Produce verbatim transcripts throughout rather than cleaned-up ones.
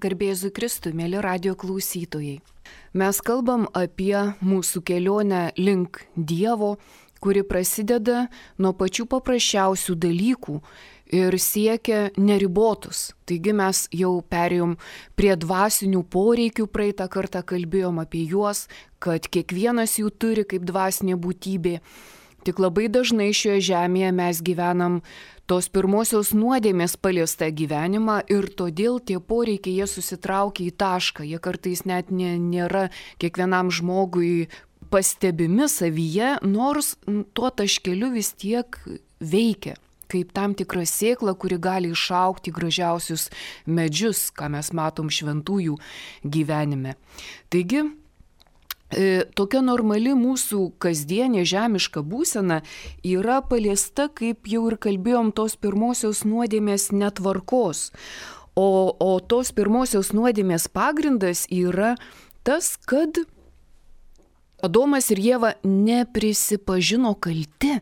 Garbėzu Kristui, mėly radio klausytojai. Mes kalbam apie mūsų kelionę link Dievo, kuri prasideda nuo pačių paprasčiausių dalykų ir siekia neribotus. Taigi mes jau perėjom prie dvasinių poreikių, praeitą kartą kalbėjom apie juos, kad kiekvienas jų turi kaip dvasinė būtybė. Tik labai dažnai šioje žemėje mes gyvenam tos pirmosios nuodėmės paliestą gyvenimą ir todėl tie poreikiai jie susitraukia į tašką. Jie kartais net nė, nėra kiekvienam žmogui pastebimi savyje, nors tuo taškeliu vis tiek veikia. Kaip tam tikra sėkla, kuri gali išaugti gražiausius medžius, ką mes matom šventųjų gyvenime. Taigi, E, tokia normali mūsų kasdienė žemiška būsena yra paliesta, kaip jau ir kalbėjom, tos pirmosios nuodėmės netvarkos. O, o tos pirmosios nuodėmės pagrindas yra tas, kad Adomas ir Ieva neprisipažino kalti.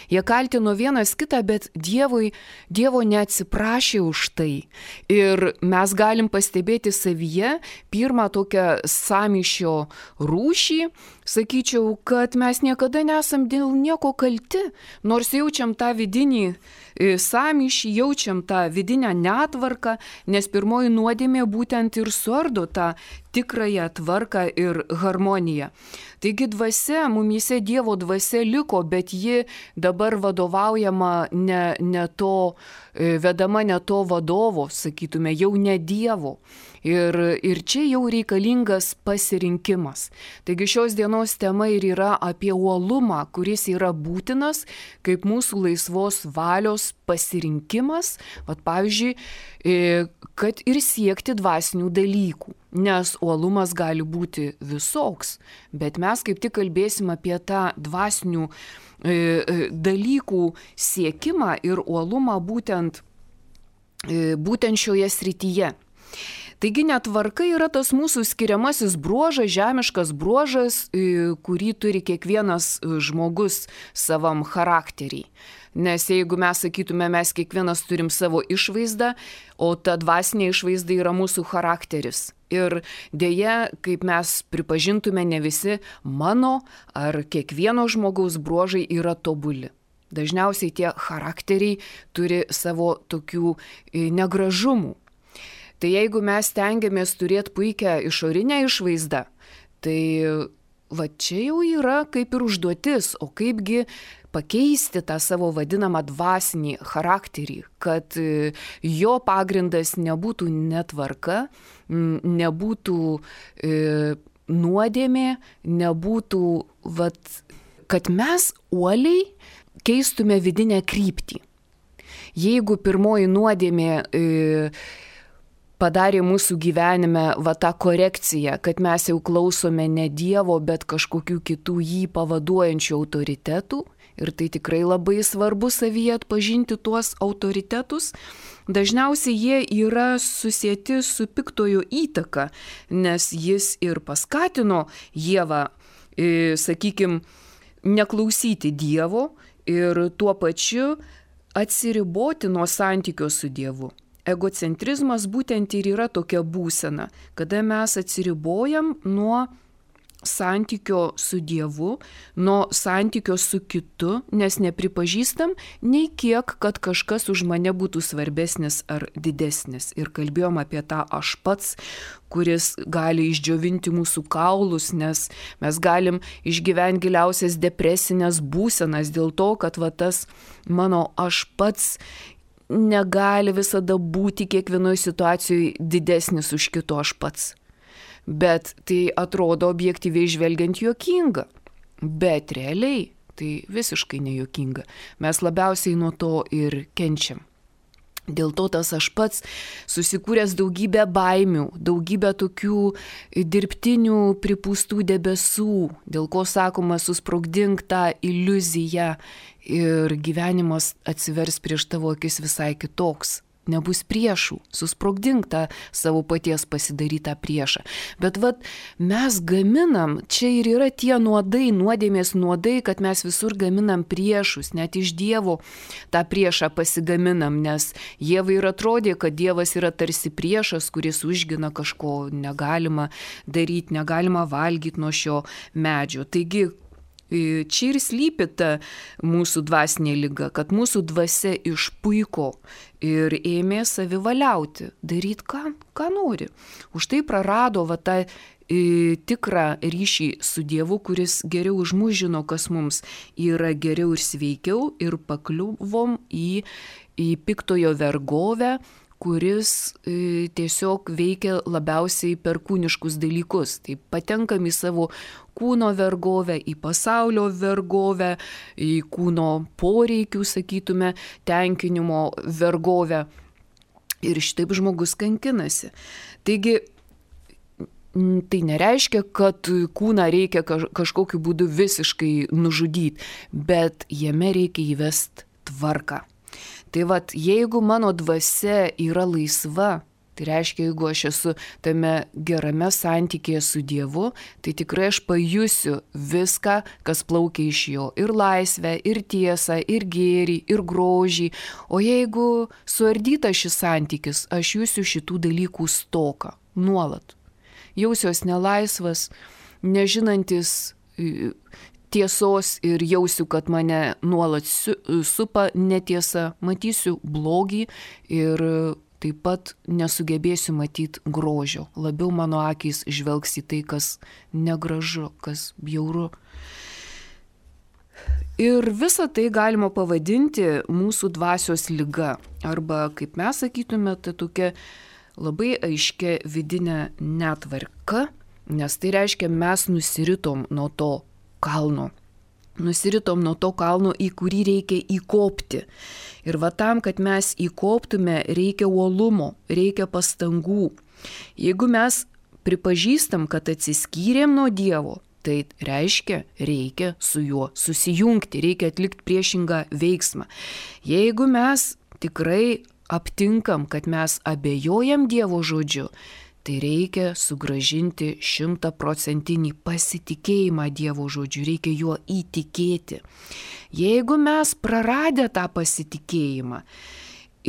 Jie kaltino vienas kitą, bet Dievui, Dievo neatsiprašė už tai. Ir mes galim pastebėti savyje pirmą tokią sąmyšio rūšį, sakyčiau, kad mes niekada nesam dėl nieko kalti, nors jaučiam tą vidinį sąmyšį, jaučiam tą vidinę netvarką, nes pirmoji nuodėmė būtent ir suardo tą tikrąją tvarką ir harmoniją. Taigi dvasia, mumyse Dievo dvasia liko, bet ji dabar vadovaujama ne, ne to, vedama ne to vadovo, sakytume, jau ne Dievo. Ir, ir čia jau reikalingas pasirinkimas. Taigi šios dienos tema ir yra apie uolumą, kuris yra būtinas kaip mūsų laisvos valios pasirinkimas, vat pavyzdžiui, kad ir siekti dvasinių dalykų. Nes uolumas gali būti visoks, bet mes kaip tik kalbėsim apie tą dvasinių e, dalykų siekimą ir uolumą būtent, e, būtent šioje srityje. Taigi netvarka yra tas mūsų skiriamasis bruožas, žemiškas bruožas, kurį turi kiekvienas žmogus savam charakterį. Nes jeigu mes sakytume, mes kiekvienas turim savo išvaizdą, o ta dvasinė išvaizda yra mūsų charakteris. Ir dėja, kaip mes pripažintume, ne visi mano ar kiekvieno žmogaus bruožai yra tobuli. Dažniausiai tie charakteriai turi savo tokių negražumų. Tai jeigu mes stengiamės turėti puikią išorinę išvaizdą, tai va čia jau yra kaip ir užduotis, o kaipgi pakeisti tą savo vadinamą dvasinį charakterį, kad jo pagrindas nebūtų netvarka, nebūtų e, nuodėmė, nebūtų, vat, kad mes uoliai keistume vidinę kryptį. Jeigu pirmoji nuodėmė e, padarė mūsų gyvenime va tą korekciją, kad mes jau klausome ne Dievo, bet kažkokių kitų jį pavaduojančių autoritetų. Ir tai tikrai labai svarbu savyje atpažinti tuos autoritetus. Dažniausiai jie yra susieti su piktojo įtaka, nes jis ir paskatino Ievą, e, sakykime, neklausyti Dievo ir tuo pačiu atsiriboti nuo santykio su Dievu. Egocentrizmas būtent ir yra tokia būsena, kada mes atsiribojam nuo santykio su Dievu, nuo santykio su kitu, nes nepripažįstam nei kiek, kad kažkas už mane būtų svarbesnis ar didesnis. Ir kalbėjom apie tą aš pats, kuris gali išdžiovinti mūsų kaulus, nes mes galim išgyventi giliausias depresinės būsenas dėl to, kad va tas mano aš pats negali visada būti kiekvienoje situacijoje didesnis už kito aš pats. Bet tai atrodo objektyviai žvelgiant juokinga. Bet realiai tai visiškai nejuokinga. Mes labiausiai nuo to ir kenčiam. Dėl to tas aš pats susikūręs daugybę baimių, daugybę tokių dirbtinių pripūstų debesų, dėl ko sakoma susprogdink tą iliuziją ir gyvenimas atsivers prieš tavo akis visai kitoks. nebus priešų, susprogdink tą savo paties pasidarytą priešą. Bet vat mes gaminam, čia ir yra tie nuodai, nuodėmės nuodai, kad mes visur gaminam priešus, net iš Dievo tą priešą pasigaminam, nes Dievui ir atrodė, kad Dievas yra tarsi priešas, kuris užgina kažko negalima daryti, negalima valgyti nuo šio medžio. Taigi, čia ir slypi ta mūsų dvasinė liga, kad mūsų dvasia išpuiko ir ėmė savivaliauti, daryti ką, ką nori. Už tai prarado va tą e, tikrą ryšį su Dievu, kuris geriau už mus žino, kas mums yra geriau ir sveikiau, ir pakliuvom į, į piktojo vergovę, kuris e, tiesiog veikia labiausiai per kūniškus dalykus. Tai patenkam į savo kūno vergovę, į pasaulio vergovę, į kūno poreikių, sakytume, tenkinimo vergovę. Ir šitaip žmogus kankinasi. Taigi, tai nereiškia, kad kūną reikia kažkokiu būdu visiškai nužudyti, bet jame reikia įvesti tvarką. Tai vat, jeigu mano dvasia yra laisva, tai reiškia, jeigu aš esu tame gerame santykėje su Dievu, tai tikrai aš pajusiu viską, kas plaukia iš jo. Ir laisvę, ir tiesą, ir gėrį, ir grožį. O jeigu suardytas šis santykis, aš jusiu šitų dalykų stoką nuolat. Jausiuos nelaisvas, nežinantis tiesos ir jausiu, kad mane nuolat supa netiesa, matysiu blogį ir taip pat nesugebėsiu matyti grožio. Labiau mano akys žvelgs į tai, kas negražu, kas bjauru. Ir visą tai galima pavadinti mūsų dvasios liga. Arba, kaip mes sakytume, tai tokia labai aiškia vidinė netvarka, nes tai reiškia, mes nusiritom nuo to kalno. Nusiritom nuo to kalno, į kurį reikia įkopti. Ir va tam, kad mes įkoptume, reikia uolumo, reikia pastangų. Jeigu mes pripažįstam, kad atsiskyrėm nuo Dievo, tai reiškia, reikia su juo susijungti, reikia atlikti priešingą veiksmą. Jeigu mes tikrai aptinkam, kad mes abejojam Dievo žodžiu, tai reikia sugrąžinti šimtaprocentinį pasitikėjimą Dievo žodžiu, reikia juo įtikėti. Jeigu mes praradę tą pasitikėjimą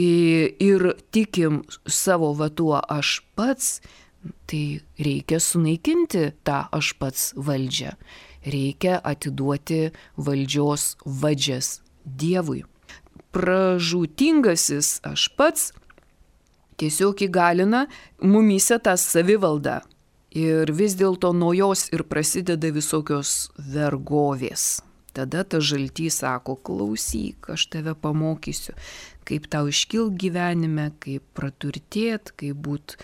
ir tikim savo va tuo aš pats, tai reikia sunaikinti tą aš pats valdžią. Reikia atiduoti valdžios vadžias Dievui. Pražūtingasis aš pats tiesiog įgalina mumyse tą savivaldą. Ir vis dėlto nuo jos ir prasideda visokios vergovės. Tada ta žaltys sako, klausyk, aš tave pamokysiu, kaip tau iškilt gyvenime, kaip praturtėt, kaip būt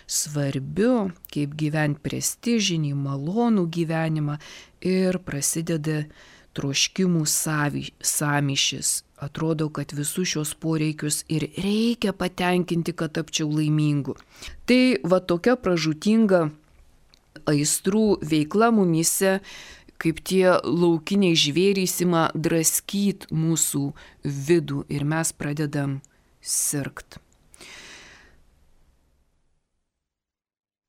svarbiu, kaip gyventi prestižinį, malonų gyvenimą. Ir prasideda troškimų sąmyšis. Atrodo, kad visus šios poreikius ir reikia patenkinti, kad tapčiau laimingu. Tai va tokia pražūtinga aistrų veikla mumyse, kaip tie laukiniai žvėrys ima draskyt mūsų vidų ir mes pradedam sirgt.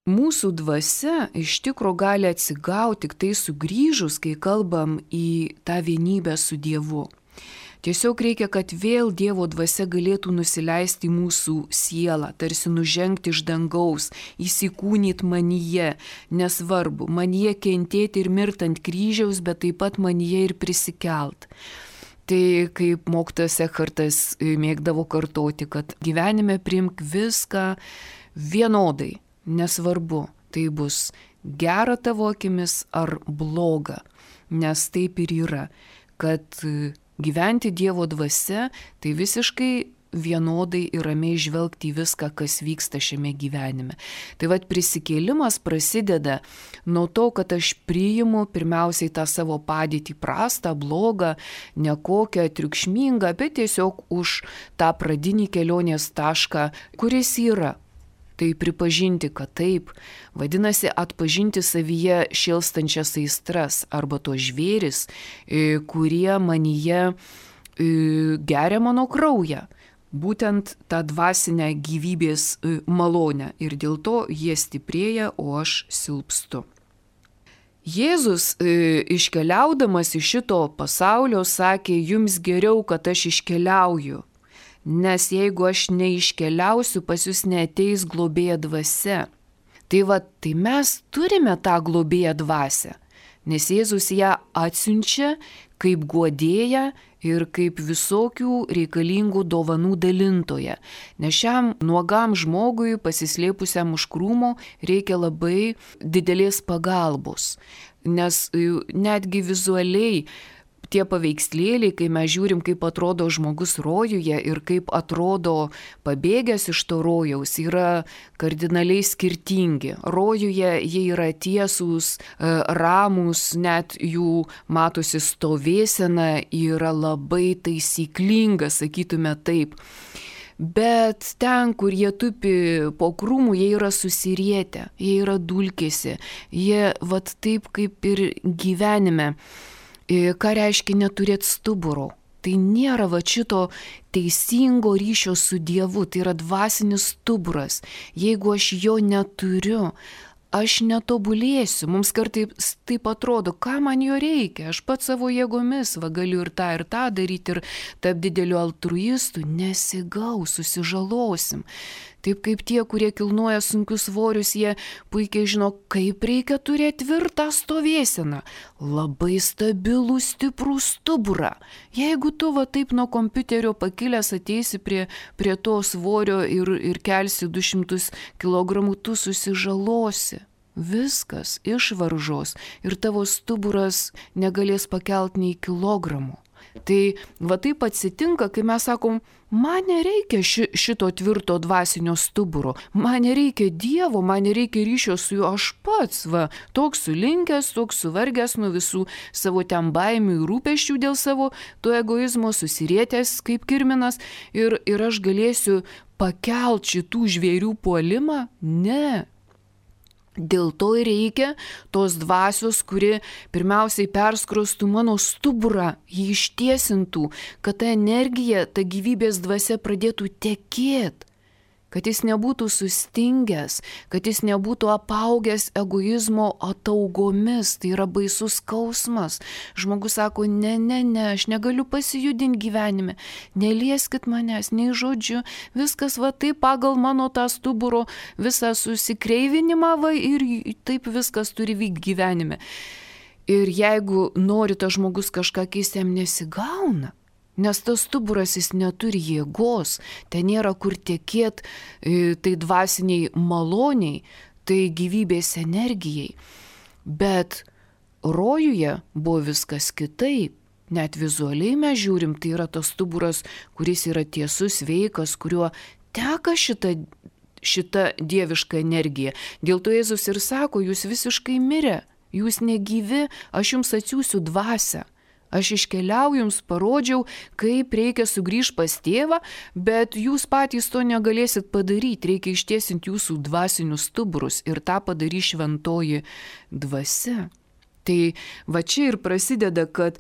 Mūsų dvasia iš tikro gali atsigauti tik tai sugrįžus, kai kalbam į tą vienybę su Dievu. Tiesiog reikia, kad vėl Dievo dvasia galėtų nusileisti į mūsų sielą, tarsi nužengti iš dangaus, įsikūnyti manyje, nesvarbu, manyje kentėti ir mirti ant kryžiaus, bet taip pat manyje ir prisikelt. Tai kaip mokytojas Ekhartas mėgdavo kartoti, kad gyvenime priimk viską vienodai, nesvarbu, tai bus gera tavo akimis ar bloga, nes taip ir yra, kad gyventi Dievo dvasia, tai visiškai vienodai ir ramiai žvelgti į viską, kas vyksta šiame gyvenime. Tai vat prisikėlimas prasideda nuo to, kad aš priimu pirmiausiai tą savo padėtį prastą, blogą, nekokią, triukšmingą, bet tiesiog už tą pradinį kelionės tašką, kuris yra. Tai pripažinti, kad taip, vadinasi atpažinti savyje šėlstančias aistras arba tos žvėris, kurie manyje geria mano kraują. būtent tą dvasinę gyvybės malonę ir dėl to jie stiprėja, o aš silpstu. Jėzus iškeliaudamas iš šito pasaulio sakė, jums geriau, kad aš iškeliauju, nes jeigu aš neiškeliausiu, pas jūs neateis globėja dvasia. Tai va, tai mes turime tą globėją dvasią, nes Jėzus ją atsiunčia kaip guodėją ir kaip visokių reikalingų dovanų dalintoją. Nes šiam nuogam žmogui, pasislėpusiam už krūmo, reikia labai didelės pagalbos. Nes netgi vizualiai tie paveikslėliai, kai mes žiūrim, kaip atrodo žmogus rojuje ir kaip atrodo pabėgęs iš to rojaus, yra kardinaliai skirtingi. Rojuje jie yra tiesūs, ramūs, net jų matosi stovėsena yra labai taisyklinga, sakytume taip. Bet ten, kur jie tupi po krūmų, jie yra susirietę, jie yra dulkėsi, jie vat taip kaip ir gyvenime. Ką reiškia neturėti stuburo? Tai nėra va šito teisingo ryšio su Dievu, tai yra dvasinis stuburas. Jeigu aš jo neturiu, aš netobulėsiu. Mums kartais taip atrodo, ką man jo reikia. Aš pats savo jėgomis va galiu ir tą ir tą daryti ir taip dideliu altruistu. Nesigaus, susižalosim. Taip kaip tie, kurie kilnoja sunkius svorius, jie puikiai žino, kaip reikia turėti tvirtą stovėseną. Labai stabilų, stiprų stuburą. Jeigu tu va taip nuo kompiuterio pakilęs ateisi prie, prie to svorio ir, ir kelsi du šimtus kilogramų, tu susižalosi. Viskas išvaržos ir tavo stuburas negalės pakelt nei kilogramų. Tai va taip atsitinka, kai mes sakom, man nereikia ši, šito tvirto dvasinio stuburo, man nereikia Dievo, man nereikia ryšio su juo, aš pats, va, toks sulinkęs, toks suvargęs nuo visų savo ten baimių ir rūpesčių dėl savo to egoizmo, susirietęs kaip kirminas ir, ir aš galėsiu pakelt šitų žvėrių puolimą? Ne. Dėl to ir reikia tos dvasios, kuri pirmiausiai perskrostų mano stuburą, jį ištiesintų, kad ta energija, ta gyvybės dvasia pradėtų tekėti, kad jis nebūtų sustingęs, kad jis nebūtų apaugęs egoizmo ataugomis, tai yra baisus skausmas. Žmogus sako, ne, ne, ne, aš negaliu pasijudinti gyvenime, nelieskit manęs, nei žodžiu, viskas va taip pagal mano tą stuburo visą susikreivinimą va ir taip viskas turi vykti gyvenime. Ir jeigu nori tas žmogus kažką keisti, jam nesigauna. Nes tas stuburas jis neturi jėgos, ten nėra kur tekėt tai dvasiniai maloniai, tai gyvybės energijai. Bet rojuje buvo viskas kitaip. Net vizualiai mes žiūrim, tai yra tas stuburas, kuris yra tiesus, sveikas, kuriuo teka šita, šita dieviška energija. Dėl to Jėzus ir sako, jūs visiškai mirę, jūs negyvi, aš jums atsiųsiu dvasią. Aš iškeliauju, jums parodžiau, kaip reikia sugrįžti pas tėvą, bet jūs patys to negalėsit padaryti, reikia ištiesinti jūsų dvasinius stuburus ir tą padarys šventoji dvasia. Tai va čia ir prasideda, kad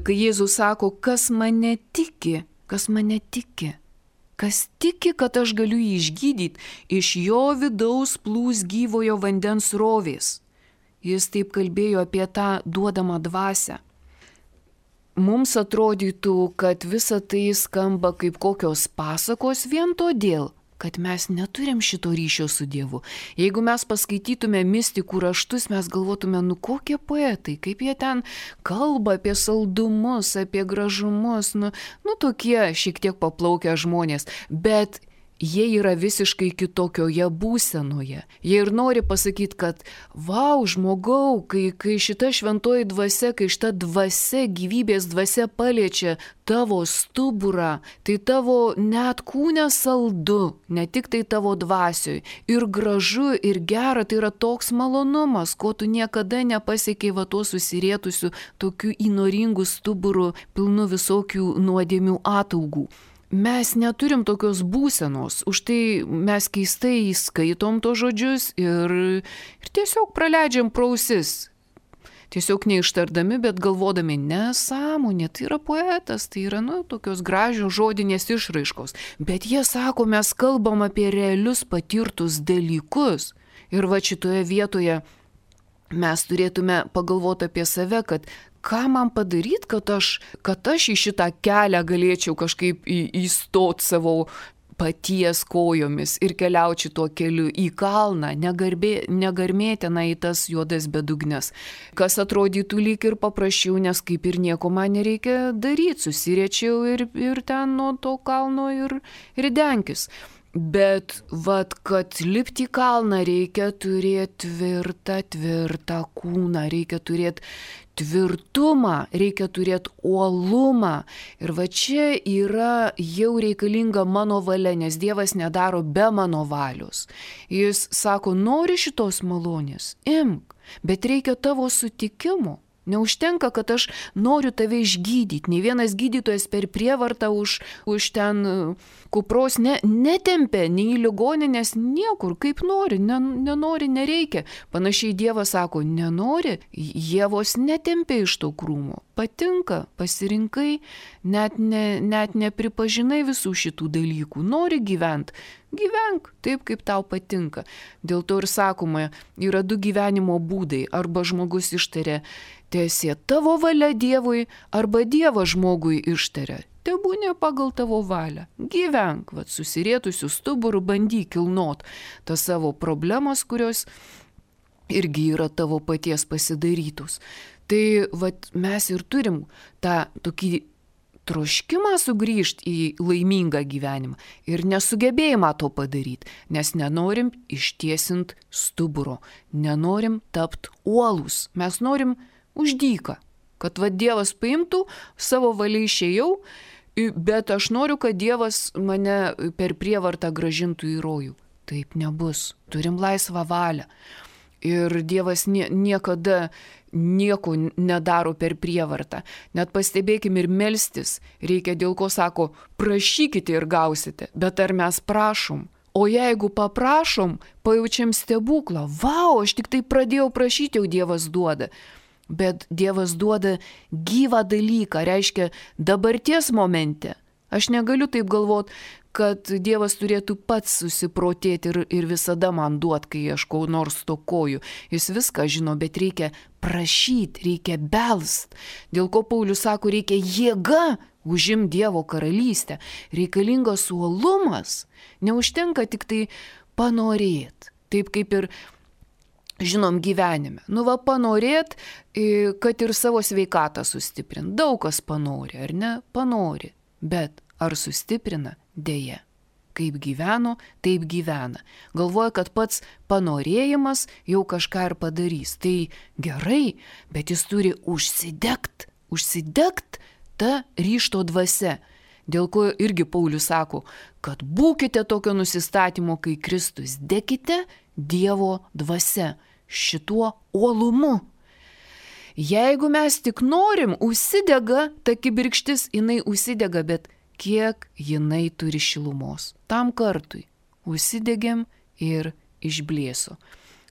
kai Jėzus sako, kas mane tiki, kas mane tiki, kas tiki, kad aš galiu jį išgydyti, iš jo vidaus plūs gyvojo vandens srovės. Jis taip kalbėjo apie tą duodamą dvasią. Mums atrodytų, kad visa tai skamba kaip kokios pasakos vien todėl, kad mes neturim šito ryšio su Dievu. Jeigu mes paskaitytume mistikų raštus, mes galvotume, nu kokie poetai, kaip jie ten kalba apie saldumus, apie gražumus, nu, nu tokie šiek tiek paplaukę žmonės, bet jie yra visiškai kitokioje būsenoje. Jie ir nori pasakyti, kad vau, žmogau, kai, kai šita šventoji dvasia, kai šita dvasia, gyvybės dvasia paliečia tavo stuburą, tai tavo net kūne saldu, ne tik tai tavo dvasioj. Ir gražu, ir gera, tai yra toks malonumas, ko tu niekada nepasiekiai va tuo susirietusiu, tokiu įnoringu stuburu, pilnu visokių nuodėmių ataugų. Mes neturim tokios būsenos, už tai mes keistai skaitom to žodžius ir, ir tiesiog praleidžiam pro ausis. tiesiog neištardami, bet galvodami, nesąmonė, tai yra poetas, tai yra, nu, tokios gražios žodinės išraiškos. Bet jie sako, mes kalbam apie realius patirtus dalykus. Ir va šitoje vietoje mes turėtume pagalvoti apie save, kad ką man padaryti, kad aš, kad aš į šitą kelią galėčiau kažkaip į, įstot savo paties kojomis ir keliaučiau tuo keliu į kalną, negarbė, negarmėtina į tas juodas bedugnes. Kas atrodytų lyg ir paprasčiau, nes kaip ir nieko man nereikia daryti, susiriečiau ir, ir ten nuo to kalno ir, ir denkis. Bet, vat, kad lipti į kalną reikia turėti tvirtą, tvirtą kūną, reikia turėti tvirtumą, reikia turėti uolumą. Ir va čia yra jau reikalinga mano valia, nes Dievas nedaro be mano valios. Jis sako, nori šitos malonės, imk, bet reikia tavo sutikimo. Neužtenka, kad aš noriu tave išgydyti. Nei vienas gydytojas per prievartą už, už ten kupros ne, netempia, nei ligoninės niekur, kaip nori, ne, nenori, nereikia. Panašiai Dievas sako, nenori, Ievos netempia iš to krūmo. Patinka, pasirinkai, net, ne, net nepripažinai visų šitų dalykų. Nori gyventi. Gyvenk taip, kaip tau patinka. Dėl to ir sakoma, yra du gyvenimo būdai. Arba žmogus ištaria, teesie tavo valia Dievui, arba Dievas žmogui ištaria, tebūnie pagal tavo valią. Gyvenk, vat, susirietusių stuburų, bandyk kilnot tas savo problemas, kurios irgi yra tavo paties pasidarytus. Tai vat, mes ir turim tą tokį troškimą sugrįžti į laimingą gyvenimą ir nesugebėjimą to padaryti, nes nenorim ištiesint stuburo, nenorim tapt uolus, mes norim uždyką, kad va Dievas paimtų, savo valiai išėjau, bet aš noriu, kad Dievas mane per prievartą grąžintų į rojų. Taip nebus, turim laisvą valią. Ir Dievas nie, niekada nieko nedaro per prievartą. Net pastebėkim ir melstis. Reikia, dėl ko sako, prašykite ir gausite. Bet ar mes prašom? O jeigu paprašom, pajaučiam stebuklą. Vau, aš tik tai pradėjau prašyti, jau Dievas duoda. Bet Dievas duoda gyvą dalyką, reiškia dabarties momente. Aš negaliu taip galvot, kad Dievas turėtų pats susiprotėti ir, ir visada man duot, kai aš ko nors stokoju. Jis viską žino, bet reikia prašyti, reikia belst. Dėl ko Paulius sako, reikia jėga užim Dievo karalystę. Reikalingas uolumas. Neužtenka tik tai panorėt. Taip kaip ir žinom gyvenime. Nu va, panorėt, kad ir savo sveikatą sustiprint. Daug kas panori, ar ne? Panori. Bet ar sustiprina? Deja. Kaip gyveno, taip gyvena. Galvoja, kad pats panorėjimas jau kažką ir padarys. Tai gerai, bet jis turi užsidegt, užsidegt tą ryžto dvasia. Dėl ko irgi Paulius sako, kad būkite tokio nusistatymo, kai Kristus, degkite Dievo dvasia, šituo uolumu. Jeigu mes tik norim, užsidega, ta kibirkštis, jinai užsidega, bet kiek jinai turi šilumos. Tam kartui užsidegėm ir išblėso.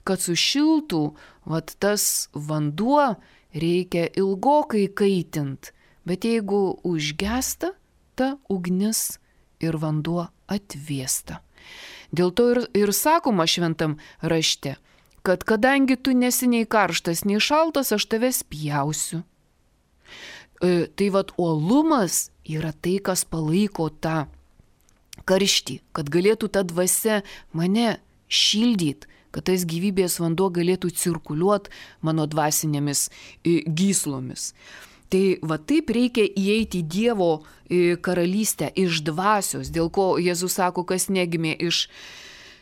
Kad sušiltų, vat tas vanduo reikia ilgokai kaitint, bet jeigu užgesta, ta ugnis ir vanduo atvėsta. Dėl to ir, ir sakoma šventam rašte, kad kadangi tu nesi nei karštas, nei šaltas, aš tave spjausiu. E, tai vat uolumas yra tai, kas palaiko tą karštį, kad galėtų ta dvasia mane šildyti, kad tas gyvybės vanduo galėtų cirkuliuoti mano dvasinėmis e, gyslomis. Tai va taip reikia įeiti į Dievo e, karalystę iš dvasios, dėl ko Jėzus sako, kas negimė iš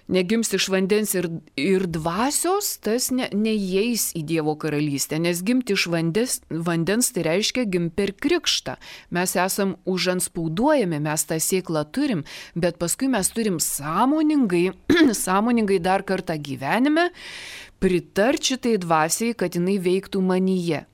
Negims iš vandens ir, ir dvasios, tas ne, neįeis į Dievo karalystę, nes gimti iš vandens, vandens tai reiškia gimti per krikštą. Mes esam užanspauduojami, mes tą sėklą turim, bet paskui mes turim sąmoningai, sąmoningai dar kartą gyvenime pritarti šitai dvasiai, kad jinai veiktų manyje.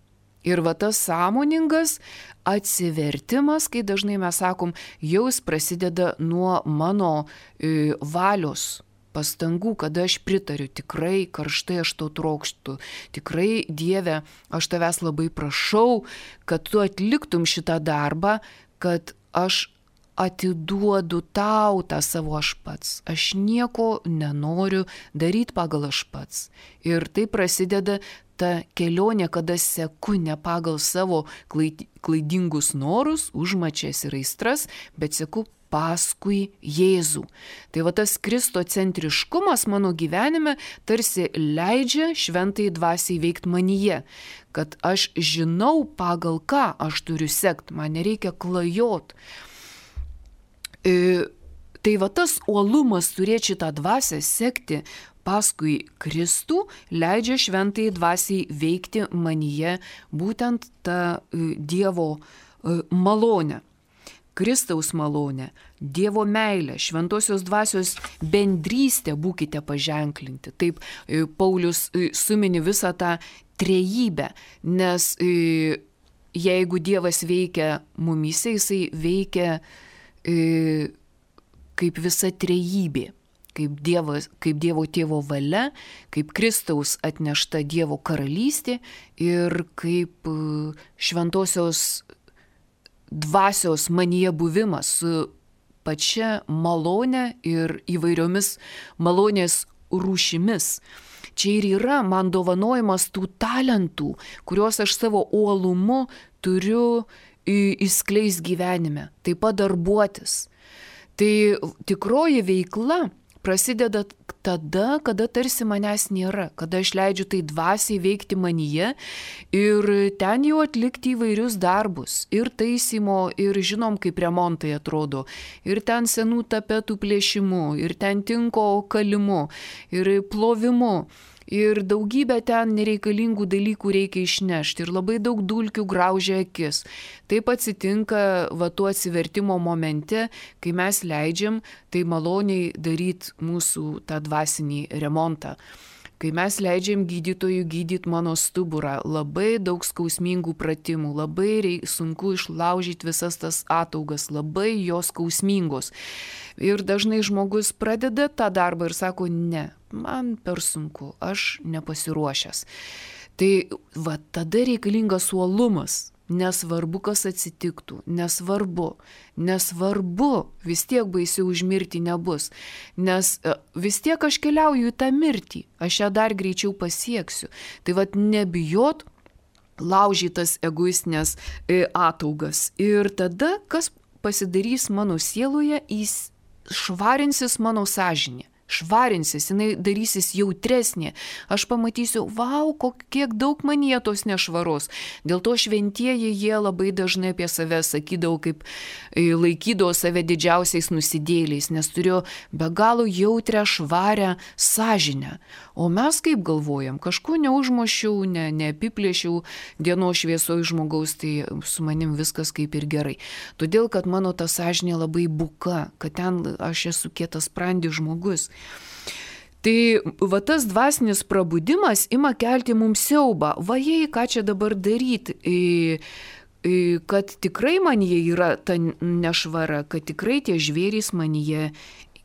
Ir va tas sąmoningas atsivertimas, kai dažnai mes sakom, jau jis prasideda nuo mano e, valios pastangų, kada aš pritariu, tikrai karštai aš to trokštu, tikrai Dieve, aš tavęs labai prašau, kad tu atliktum šitą darbą, kad aš atiduodu tau tą savo aš pats. Aš nieko nenoriu daryti pagal aš pats. Ir tai prasideda ta kelionė, kada seku ne pagal savo klaidingus norus, užmačias ir aistras, bet seku paskui Jėzų. Tai va tas kristocentriškumas mano gyvenime tarsi leidžia šventai dvasiai veikti manyje, kad aš žinau, pagal ką aš turiu sekti, man nereikia klajot. E, tai va tas uolumas turėti šitą dvasią, sekti paskui Kristų, leidžia šventai dvasiai veikti manyje būtent tą e, Dievo e, malonę. Kristaus malonę, Dievo meilę, šventosios dvasios bendrystę būkite paženklinti. Taip Paulius sumini visą tą trejybę, nes jeigu Dievas veikia mumyse, jisai veikia kaip visa trejybė, kaip, dievas, kaip Dievo tėvo valia, kaip Kristaus atnešta Dievo karalystė ir kaip šventosios dvasios manyje buvimas su pačia malone ir įvairiomis malonės rūšimis. Čia ir yra man dovanojimas tų talentų, kuriuos aš savo uolumu turiu įskleis gyvenime, taip pat darbuotis. Tai tikroji veikla prasideda tada, kada tarsi manęs nėra, kada aš leidžiu tai dvasiai veikti manyje ir ten jau atlikti įvairius darbus, ir taisymo, ir žinom, kaip remontai atrodo, ir ten senų tapetų plėšimu, ir ten tinko kalimu, ir plovimu. Ir daugybę ten nereikalingų dalykų reikia išnešti ir labai daug dulkių graužia akis. Taip atsitinka va tuo atsivertimo momente, kai mes leidžiam tai maloniai daryti mūsų tą dvasinį remontą. Kai mes leidžiam gydytojui gydyti mano stuburą, labai daug skausmingų pratimų, labai reik, sunku išlaužyti visas tas ataugas, labai jos skausmingos. Ir dažnai žmogus pradeda tą darbą ir sako, ne, man per sunku, aš nepasiruošęs. Tai va tada reikalingas uolumas. Nesvarbu, kas atsitiktų, nesvarbu, nesvarbu, vis tiek baisiau užmirti nebus, nes vis tiek aš keliauju į tą mirtį, aš ją dar greičiau pasieksiu. Tai vat nebijot laužytas egoistinės ataugas. Ir tada, kas pasidarys mano sieloje, jis švarinsis mano sąžinė. Švarinsis, jinai darysis jautresnė. Aš pamatysiu, vau, kiek daug manyje tos nešvaros. Dėl to šventieji jie labai dažnai apie save sakydavo, kaip laikydavo save didžiausiais nusidėliais, nes turėjo be galo jautrę, švarę sąžinę. O mes kaip galvojam, kažko neužmušiau, ne, neapiplėšiau dienos šviesoj žmogaus, tai su manim viskas kaip ir gerai. Todėl, kad mano ta sąžinė labai buka, kad ten aš esu kietas sprandis žmogus. Tai va tas dvasinis prabudimas ima kelti mums siaubą. Va jei, ką čia dabar daryti, kad tikrai manyje yra ta nešvara, kad tikrai tie žvėrys manyje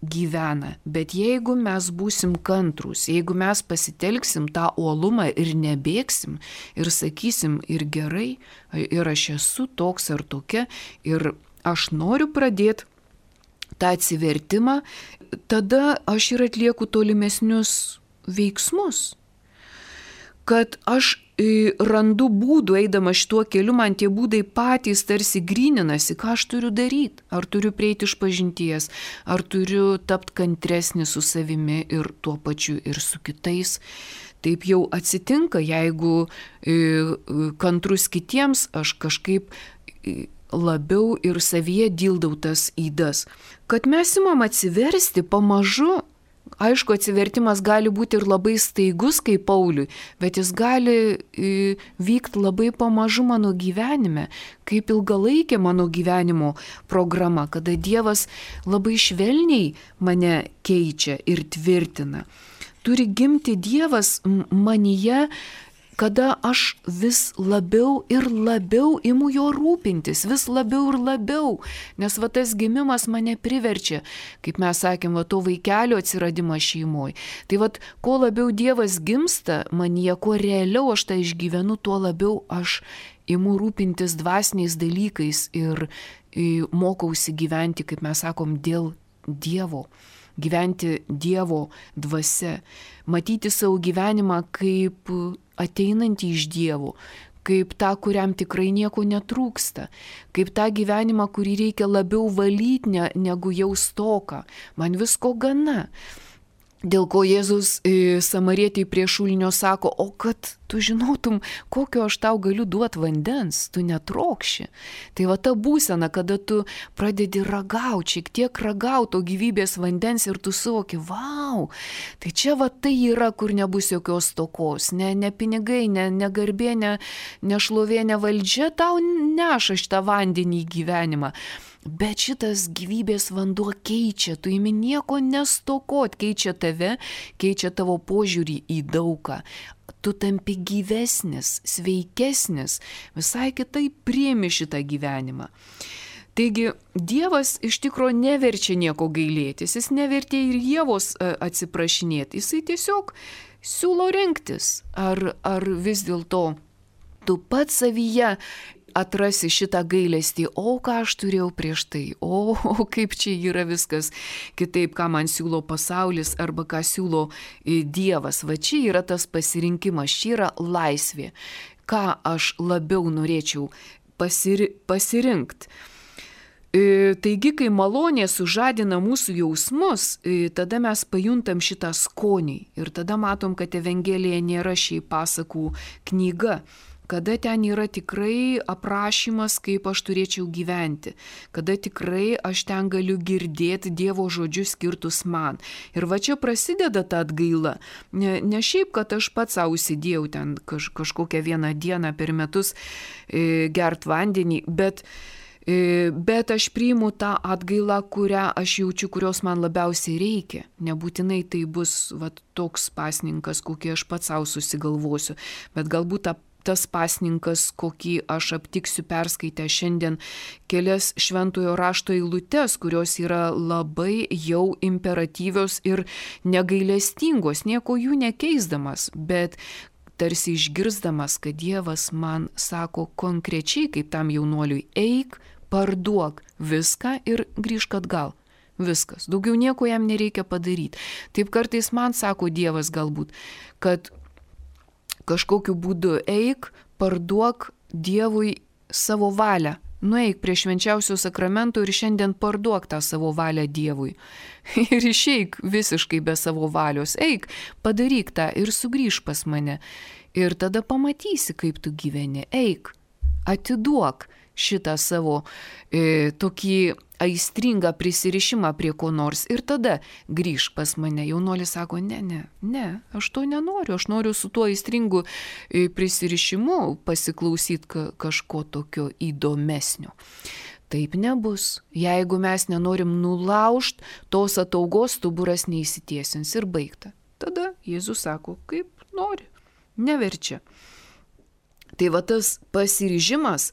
gyvena. Bet jeigu mes būsim kantrūs, jeigu mes pasitelksim tą uolumą ir nebėgsim ir sakysim ir gerai, ir aš esu toks ar tokia, ir aš noriu pradėti tą atsivertimą, tada aš ir atlieku tolimesnius veiksmus. Kad aš randu būdų, eidama šituo keliu, man tie būdai patys tarsi gryninasi, ką aš turiu daryti. Ar turiu prieiti iš pažinties, ar turiu tapti kantresnį su savimi ir tuo pačiu ir su kitais. Taip jau atsitinka, jeigu kantrus kitiems, aš kažkaip labiau ir savyje dildau tas ydas. Kad mes imam atsiversti pamažu, aišku, atsivertimas gali būti ir labai staigus kaip Pauliui, bet jis gali vykti labai pamažu mano gyvenime, kaip ilgalaikė mano gyvenimo programa, kada Dievas labai švelniai mane keičia ir tvirtina. Turi gimti Dievas manyje kada aš vis labiau ir labiau imu jo rūpintis, vis labiau ir labiau, nes va tas gimimas mane priverčia, kaip mes sakėm, va to vaikelio atsiradimą šeimoje. Tai va, kuo labiau Dievas gimsta manyje, kuo realiau aš tą išgyvenu, tuo labiau aš imu rūpintis dvasiniais dalykais ir mokausi gyventi, kaip mes sakom, dėl Dievo. Gyventi Dievo dvasia, matyti savo gyvenimą kaip ateinantį iš Dievo, kaip tą, kuriam tikrai nieko netrūksta, kaip tą gyvenimą, kurį reikia labiau valyti ne, negu jau stoką. Man visko gana. Dėl ko Jėzus e, samarietei prie šulinio sako, o kad tu žinotum, kokio aš tau galiu duoti vandens, tu netrokši. Tai va ta būsena, kada tu pradedi ragauti, šiek tiek ragauti to gyvybės vandens ir tu suvoki, vau, tai čia va tai yra, kur nebus jokios stokos, ne, ne pinigai, ne, ne garbė, ne, ne šlovė, ne valdžia tau neša šitą vandenį į gyvenimą. Bet šitas gyvybės vanduo keičia, tu imi nieko nestokot, keičia tave, keičia tavo požiūrį į daugą. Tu tampi gyvesnis, sveikesnis, visai kitaip priimi šitą gyvenimą. Taigi Dievas iš tikro neverčia nieko gailėtis, jis nevertė ir Ievos atsiprašinėti, jisai tiesiog siūlo rinktis, ar, ar vis dėlto tu pats savyje atrasi šitą gailestį, o ką aš turėjau prieš tai, o, o kaip čia yra viskas kitaip, ką man siūlo pasaulis arba ką siūlo Dievas. Va čia yra tas pasirinkimas, čia yra laisvė, ką aš labiau norėčiau pasiri, pasirinkti. E, taigi, kai malonė sužadina mūsų jausmus, e, tada mes pajuntam šitą skonį ir tada matom, kad Evangelija nėra šiaip pasakų knyga, kada ten yra tikrai aprašymas, kaip aš turėčiau gyventi, kada tikrai aš ten galiu girdėti Dievo žodžius skirtus man. Ir va čia prasideda ta atgaila. Ne, ne šiaip, kad aš pats savo sėdėjau ten kaž, kažkokią vieną dieną per metus e, gert vandenį, bet, e, bet aš priimu tą atgailą, kurią aš jaučiu, kurios man labiausiai reikia. Nebūtinai tai bus va, toks pasninkas, kokį aš pats savo susigalvosiu, bet galbūt tą tas pasninkas, kokį aš aptiksiu perskaitę šiandien kelias šventojo rašto eilutes, kurios yra labai jau imperatyvios ir negailestingos, nieko jų nekeisdamas, bet tarsi išgirsdamas, kad Dievas man sako konkrečiai, kaip tam jaunuoliui, eik, parduok viską ir grįžk atgal. Viskas. Daugiau nieko jam nereikia padaryti. Taip kartais man sako Dievas galbūt, kad kažkokiu būdu eik, parduok Dievui savo valią. Nueik prie švenčiausio sakramento ir šiandien parduok tą savo valią Dievui. Ir išeik visiškai be savo valios. Eik, padaryk tą ir sugrįžk pas mane. Ir tada pamatysi, kaip tu gyveni. Eik, atiduok šitą savo e, tokį aistringą prisirišimą prie ko nors ir tada grįžk pas mane. Jaunuolis sako, ne, ne, ne, aš to nenoriu, aš noriu su tuo aistringu e, prisirišimu pasiklausyti ka, kažko tokio įdomesnio. Taip nebus. Jeigu mes nenorim nulaužti, tos ataugos stuburas neįsitiesins ir baigta. Tada Jėzus sako, kaip nori, neverčia. Tai va tas pasiryžimas,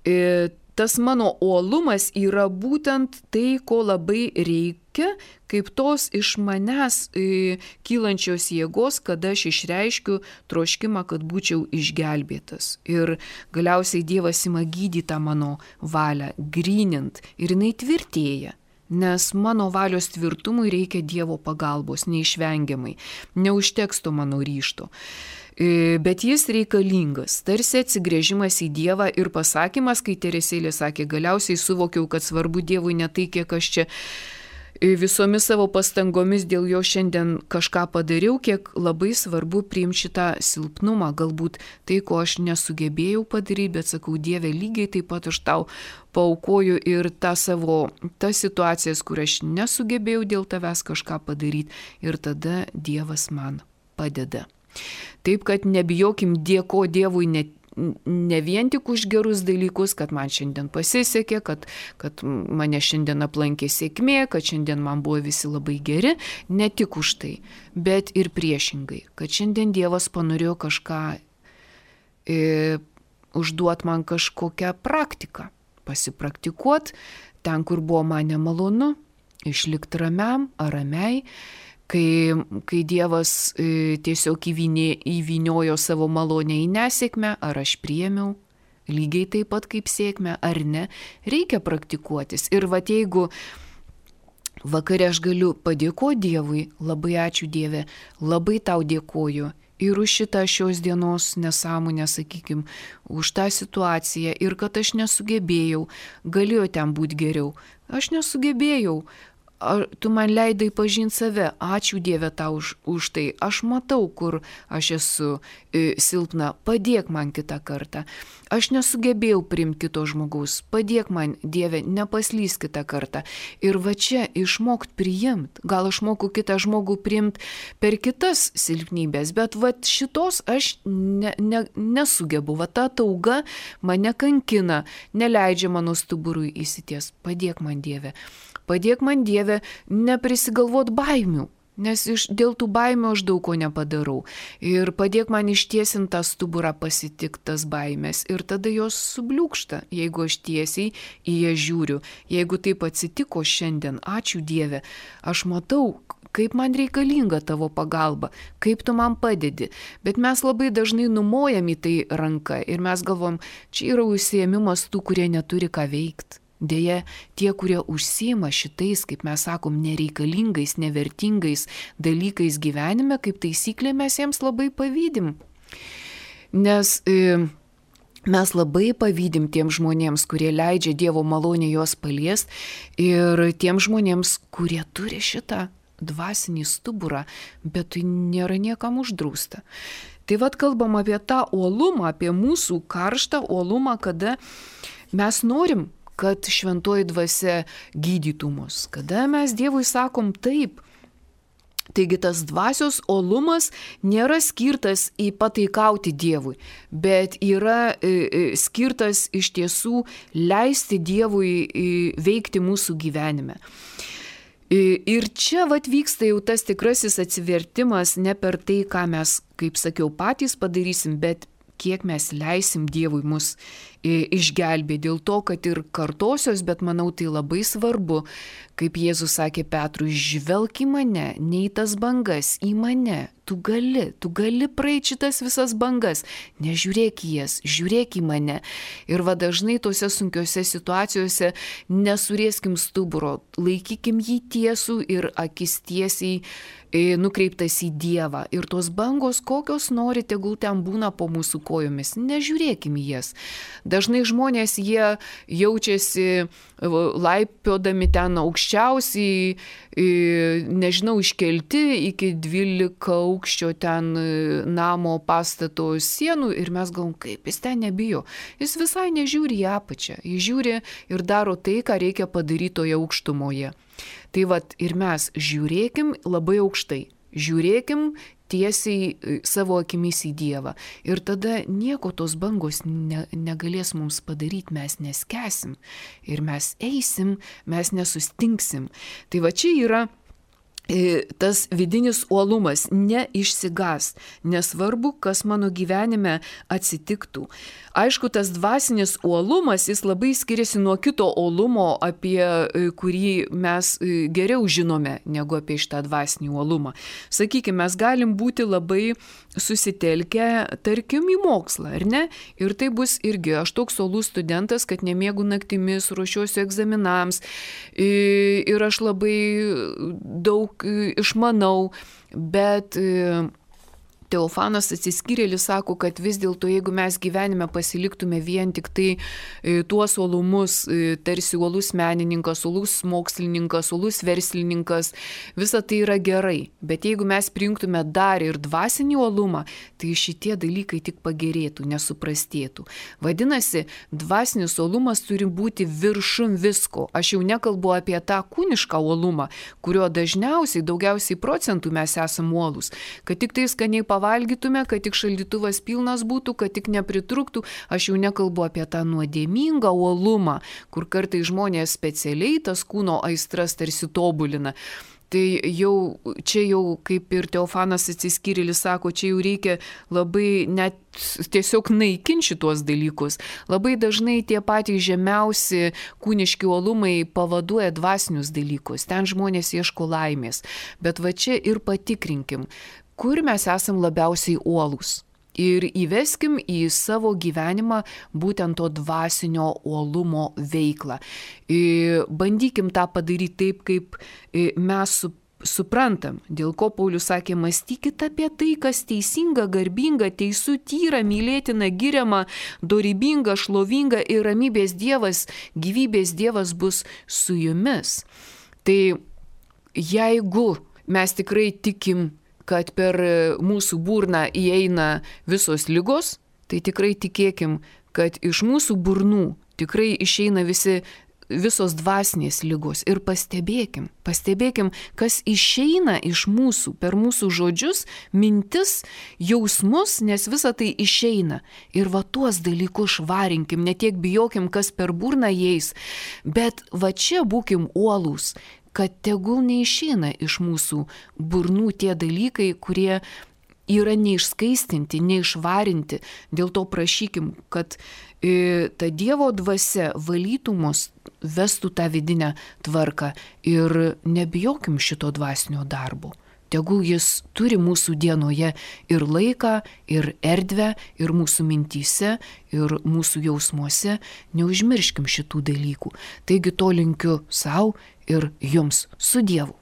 e, tas mano uolumas yra būtent tai, ko labai reikia, kaip tos iš manęs e, kylančios jėgos, kada aš išreiškiu troškimą, kad būčiau išgelbėtas. Ir galiausiai Dievas ima gydyti tą mano valią, grynint, ir jinai tvirtėja. Nes mano valios tvirtumui reikia Dievo pagalbos, neišvengiamai. Neužteks to mano ryžto. Bet jis reikalingas, tarsi atsigrėžimas į Dievą ir pasakymas, kai Teresėlė sakė, galiausiai suvokiau, kad svarbu Dievui ne tai, kiek aš čia visomis savo pastangomis dėl jo šiandien kažką padariau, kiek labai svarbu priimti šitą silpnumą, galbūt tai, ko aš nesugebėjau padaryti, bet sakau, Dieve, lygiai taip pat aš tau paaukoju ir tą savo, tas situacijas, kur aš nesugebėjau dėl tavęs kažką padaryti ir tada Dievas man padeda. Taip, kad nebijokim dėko Dievui ne, ne vien tik už gerus dalykus, kad man šiandien pasisekė, kad, kad mane šiandien aplankė sėkmė, kad šiandien man buvo visi labai geri, ne tik už tai, bet ir priešingai, kad šiandien Dievas panorėjo kažką e, užduot man kažkokią praktiką, pasipraktikuot ten, kur buvo man nemalonu, išlikti ramiam ar ramiai, kai, kai Dievas e, tiesiog įvinė, įviniojo savo malonę į nesėkmę, ar aš priėmiau, lygiai taip pat kaip sėkmę, ar ne, reikia praktikuotis. Ir va jeigu vakare aš galiu padėkoti Dievui, labai ačiū Dieve, labai tau dėkoju ir už šitą šios dienos nesąmonę, sakykime, už tą situaciją ir kad aš nesugebėjau, galėjo ten būti geriau, aš nesugebėjau. Ar tu man leidai pažinti save, ačiū Dieve tau už, už tai, aš matau, kur aš esu e, silpna, padėk man kitą kartą, aš nesugebėjau priimti kito žmogaus, padėk man Dieve, nepaslys kitą kartą. Ir va čia išmokt priimti, gal aš moku kitą žmogų priimti per kitas silpnybės, bet va šitos aš ne, ne, nesugebu, va ta tauga mane kankina, neleidžia mano stuburui įsities, padėk man Dieve. Padėk man Dieve neprisigalvot baimių, nes iš, dėl tų baimių aš daug ko nepadarau. Ir padėk man ištiesinti tą stuburą pasitikti tas baimės ir tada jos subliūkšta, jeigu aš tiesiai į ją žiūriu. Jeigu taip atsitiko šiandien, ačiū Dieve, aš matau, kaip man reikalinga tavo pagalba, kaip tu man padedi. Bet mes labai dažnai numojam į tai ranką ir mes galvom, čia yra užsiėmimas tų, kurie neturi ką veikti. Deja, tie, kurie užsiima šitais, kaip mes sakom, nereikalingais, nevertingais dalykais gyvenime, kaip taisyklė mes jiems labai pavydim. Nes e, mes labai pavydim tiem žmonėms, kurie leidžia Dievo malonę juos paliest ir tiem žmonėms, kurie turi šitą dvasinį stuburą, bet tai nėra niekam uždrausta. Tai vad kalbam apie tą uolumą, apie mūsų karštą uolumą, kada mes norim, kad šventoji dvasia gydytų mus. Kada mes Dievui sakom taip. Taigi tas dvasios uolumas nėra skirtas į pataikauti Dievui, bet yra e, skirtas iš tiesų leisti Dievui e, veikti mūsų gyvenime. E, ir čia vat vyksta jau tas tikrasis atsivertimas ne per tai, ką mes, kaip sakiau, patys padarysim, bet kiek mes leisim Dievui mus išgelbėti. Dėl to, kad ir kartosios, bet manau tai labai svarbu, kaip Jėzus sakė Petrui, žvelk į mane, ne į tas bangas, į mane. Tu gali, tu gali praeiti šitas visas bangas, nežiūrėk į jas, žiūrėk į mane. Ir va dažnai tose sunkiose situacijose nesurėskim stuburo, laikykim jį tiesų ir akis tiesiai nukreiptas į Dievą. Ir tos bangos, kokios nori, tegul ten būna po mūsų kojomis, nežiūrėkim į jas. Dažnai žmonės, jie jaučiasi laipiodami ten aukščiausiai, nežinau, iškelti iki dvylika aukščio ten namo pastato sienų ir mes galvom, kaip jis ten nebijo. Jis visai nežiūri į apačią, jis žiūri ir daro tai, ką reikia padaryti toje aukštumoje. Tai vat ir mes žiūrėkim labai aukštai, žiūrėkim tiesiai savo akimis į Dievą. Ir tada nieko tos bangos ne, negalės mums padaryti, mes neskesim. Ir mes eisim, mes nesustinksim. Tai va čia yra tas vidinis uolumas, neišsigas, nesvarbu, kas mano gyvenime atsitiktų. Aišku, tas dvasinis uolumas, jis labai skiriasi nuo kito uolumo, apie kurį mes geriau žinome, negu apie šitą dvasinį uolumą. Sakykime, mes galim būti labai susitelkę, tarkim, į mokslą, ar ne? Ir tai bus irgi, aš toks uolus studentas, kad nemiegu naktimis, ruošiuosi egzaminams ir aš labai daug išmanau, bet Teofanas Atsiskyrėlis sako, kad vis dėlto, jeigu mes gyvenime pasiliktume vien tik tai tuos uolumus, tarsi uolus menininkas, uolus mokslininkas, uolus verslininkas, visa tai yra gerai. Bet jeigu mes prijungtume dar ir dvasinį uolumą, tai šitie dalykai tik pagerėtų, nesuprastėtų. Vadinasi, dvasinis uolumas turi būti viršum visko. Aš jau nekalbu apie tą kūnišką uolumą, kurio dažniausiai, daugiausiai procentų mes esam uolus. Kad tik tai skaniai pavalgytume, kad tik šaldytuvas pilnas būtų, kad tik nepritrūktų. Aš jau nekalbu apie tą nuodėmingą uolumą, kur kartais žmonės specialiai tas kūno aistras tarsi tobulina. Tai jau, čia jau, kaip ir Teofanas Atsiskyrėlis sako, čia jau reikia labai net tiesiog naikinti šitos dalykus. Labai dažnai tie patys žemiausi kūniški uolumai pavaduoja dvasinius dalykus. Ten žmonės ieško laimės. Bet va čia ir patikrinkim, kur mes esam labiausiai uolūs. Ir įveskim į savo gyvenimą būtent to dvasinio uolumo veiklą. Ir bandykim tą padaryti taip, kaip mes su, suprantam. Dėl ko Paulius sakė, mąstykit apie tai, kas teisinga, garbinga, teisų, tyra, mylėtina, giriama, dorybinga, šlovinga ir ramybės Dievas, gyvybės Dievas bus su jumis. Tai jeigu mes tikrai tikim, kad per mūsų burną įeina visos ligos, tai tikrai tikėkim, kad iš mūsų burnų tikrai išeina visi, visos dvasinės ligos. Ir pastebėkim, pastebėkim, kas išeina iš mūsų per mūsų žodžius, mintis, jausmus, nes visa tai išeina. Ir va tuos dalykus švarinkim, ne tiek bijokim, kas per burną įeis, bet va čia būkim uolūs, kad tegul neišeina iš mūsų burnų tie dalykai, kurie yra neišskaistinti, neišvarinti. Dėl to prašykim, kad e, ta Dievo dvasia valytų mus, vestų tą vidinę tvarką ir nebijokim šito dvasinio darbo. Tegul jis turi mūsų dienoje ir laiką, ir erdvę, ir mūsų mintyse, ir mūsų jausmuose. Neužmirškim šitų dalykų. Taigi to linkiu sau ir jums su Dievu.